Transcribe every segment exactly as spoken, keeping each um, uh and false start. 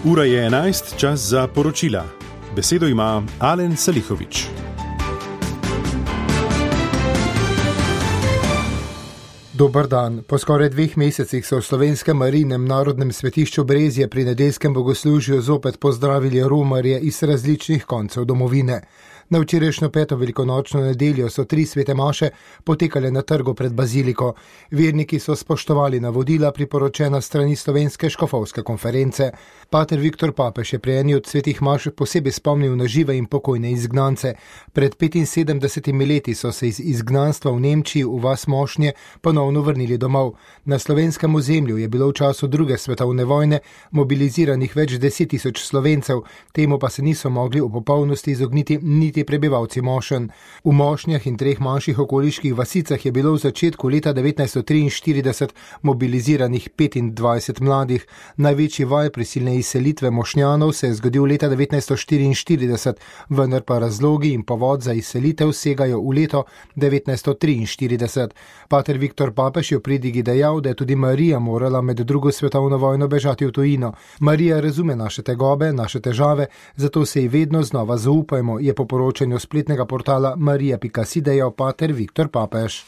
Ura je enajst, čas za poročila. Besedo ima Alen Salihović. Dobar dan. Po skoraj dveh mesecih so v Slovenskem Marijinem narodnem svetišču Brezje pri nedeljskem bogoslužju zopet pozdravili romarje iz različnih koncev domovine. Na včerajšnjo peto velikonočno nedeljo so tri svete maše potekale na trgu pred baziliko. Verniki so spoštovali navodila priporočena strani Slovenske škofovske konference. Pater Viktor Papež je pri eni od svetih maš posebej spomnil na žive in pokojne izgnance. Pred petinsedemdesetimi leti so se iz izgnanstva v Nemčiji v vas Mošnje ponovno vrnili domov. Na slovenskem ozemlju je bilo v času druge svetovne vojne mobiliziranih več deset tisoč Slovencev, temu pa se niso mogli v popolnosti izogniti niti prebivalci Mošen. V Mošnjah in treh manjših okoliških vasicah je bilo v začetku leta devetnajststo triinštirideset mobiliziranih petindvajset mladih. Največji val prisilne izselitve Mošnjanov se je zgodil leta devetnajststo štiriinštirideset, vendar pa razlogi in povod za izselitev segajo v leto devetnajststo triinštirideset. Pater Viktor Papež je v pridigi dejal, da je tudi Marija morala med drugo svetovno vojno bežati v tujino. Marija razume naše tegobe, naše težave, zato se ji vedno znova zaupajmo, je po poročanju spletnega portala marija pika si dejal pater Viktor Papež.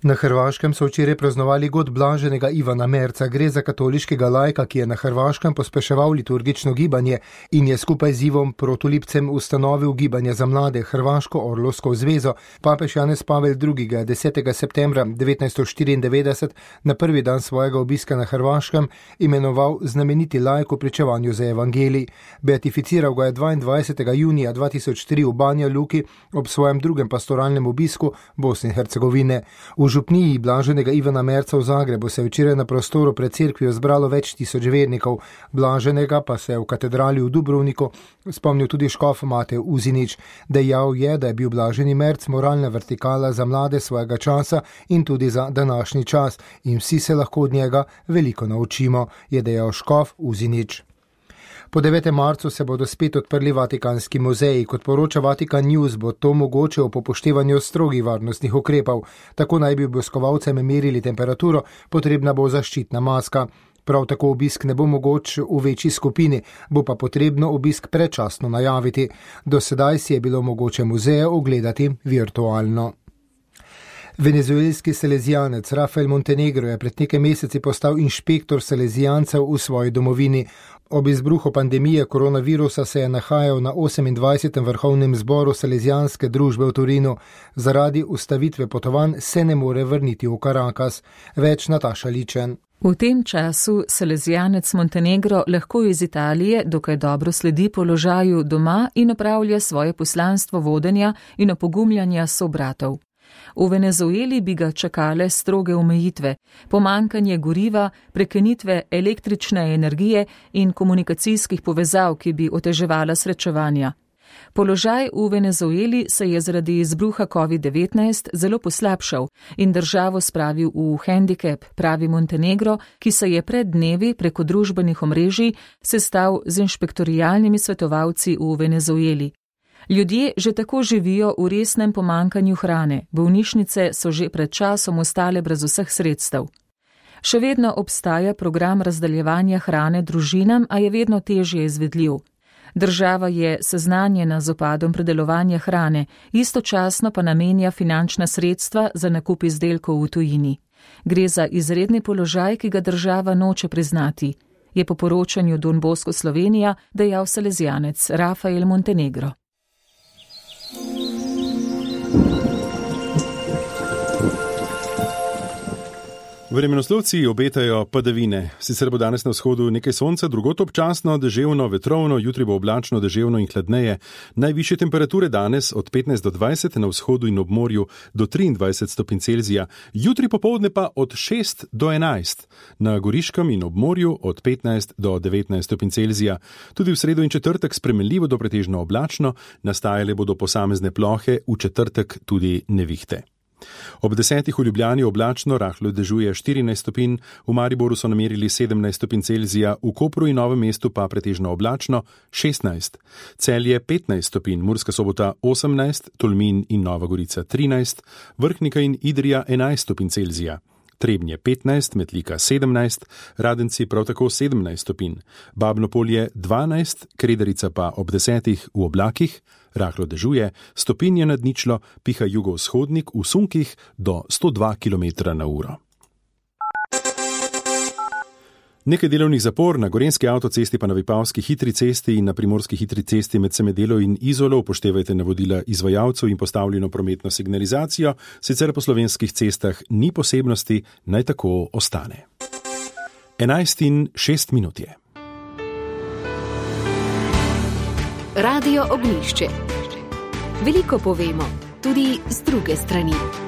Na Hrvaškem so včeraj praznovali god blaženega Ivana Merca. Gre za katoliškega laika, ki je na Hrvaškem pospeševal liturgično gibanje in je skupaj z Ivom Protolipcem ustanovil gibanje za mlade Hrvaško orlovsko zvezo. Papež Janez Pavel drugi. ga je desetega septembra devetnajststo štiriindevetdeset na prvi dan svojega obiska na Hrvaškem imenoval znameniti laik v pričevanju za evangelij. Beatificiral ga je dvaindvajsetega junija dva tisoč tri v Banja Luki ob svojem drugem pastoralnem obisku Bosne in Hercegovine. V župniji blaženega Ivana Merca v Zagrebu se je včeraj na prostoru pred cerkvijo zbralo več tisoč vernikov. Blaženega pa se je v katedrali v Dubrovniku spomnil tudi škof Matej Uzinić. Dejal je, da je bil blaženi Merc moralna vertikala za mlade svojega časa in tudi za današnji čas in vsi se lahko od njega veliko naučimo, je dejal škof Uzinić. Po devetem marcu se bodo spet odprli Vatikanski muzeji. Kot poroča Vatikan News, bo to mogoče ob upoštevanju strogih varnostnih ukrepov. Tako naj bi obiskovalcem merili temperaturo, potrebna bo zaščitna maska. Prav tako obisk ne bo mogoč v večji skupini, bo pa potrebno obisk predčasno najaviti. Do sedaj si je bilo mogoče muzeje ogledati virtualno. Venezuelski salezijanec Rafael Montenegro je pred nekaj meseci postal inšpektor salezijancev v svoji domovini. Ob izbruhu pandemije koronavirusa se je nahajal na osemindvajsetem vrhovnem zboru salezijanske družbe v Torinu. Zaradi ustavitve potovanj se ne more vrniti v Caracas. Več Nataša Ličen. V tem času salezijanec Montenegro lahko iz Italije dokaj dobro sledi položaju doma in opravlja svoje poslanstvo vodenja in opogumljanja sobratov. V Venezueli bi ga čakale stroge omejitve, pomanjkanje goriva, prekinitve električne energije in komunikacijskih povezav, ki bi oteževala srečevanja. Položaj v Venezueli se je zaradi izbruha covid devetnajst zelo poslabšal in državo spravil v hendikep, pravi Montenegro, ki se je pred dnevi preko družbenih omrežij sestal z inšpektorialnimi svetovalci v Venezueli. Ljudje že tako živijo v resnem pomanjkanju hrane, bolnišnice so že pred časom ostale brez vseh sredstev. Še vedno obstaja program razdeljevanja hrane družinam, a je vedno težje izvedljiv. Država je seznanjena z upadom predelovanja hrane, istočasno pa namenja finančna sredstva za nakup izdelkov v tujini. Gre za izredni položaj, ki ga država noče priznati, je po poročanju Don Bosco Slovenija dejal salezijanec Rafael Montenegro. Vremenoslovci obetajo padavine. Sicer bo danes na vzhodu nekaj sonca, drugod občasno, deževno, vetrovno, jutri bo oblačno, deževno in hladneje. Najvišje temperature danes od petnajst do dvajset, na vzhodu in ob morju do triindvajset stopinj Celzija. Jutri popoldne pa od šest do enajst, na Goriškem in ob morju od petnajst do devetnajst stopinj Celzija. Tudi v sredo in četrtek spremenljivo do pretežno oblačno, nastajale bodo posamezne plohe, v četrtek tudi nevihte. Ob desetih v Ljubljani oblačno, rahlo dežuje štirinajst stopinj, v Mariboru so namerili sedemnajst stopinj Celzija, v Kopru in Novem mestu pa pretežno oblačno šestnajst. Celje petnajst stopinj, Murska Sobota osemnajst, Tolmin in Nova Gorica trinajst, Vrhnika in Idrija enajst stopinj Celzija. Trebnje petnajst, Metlika sedemnajst, Radenci prav tako sedemnajst stopinj, Babno Polje dvanajst, Krederica pa ob desetih v oblakih, rahlo dežuje, stopinje nad ničlo, piha jugovzhodnik v sunkih do sto dva kilometra na uro. Nekaj delovnih zapor na Gorenjski avtocesti pa na Vipavski hitri cesti in na Primorski hitri cesti med Semedelo in Izolo. Upoštevajte navodila izvajalcev in postavljeno prometno signalizacijo, sicer po slovenskih cestah ni posebnosti, naj tako ostane. enajst in šest minut je. Radio Ognjišče. Veliko povemo, tudi z druge strani.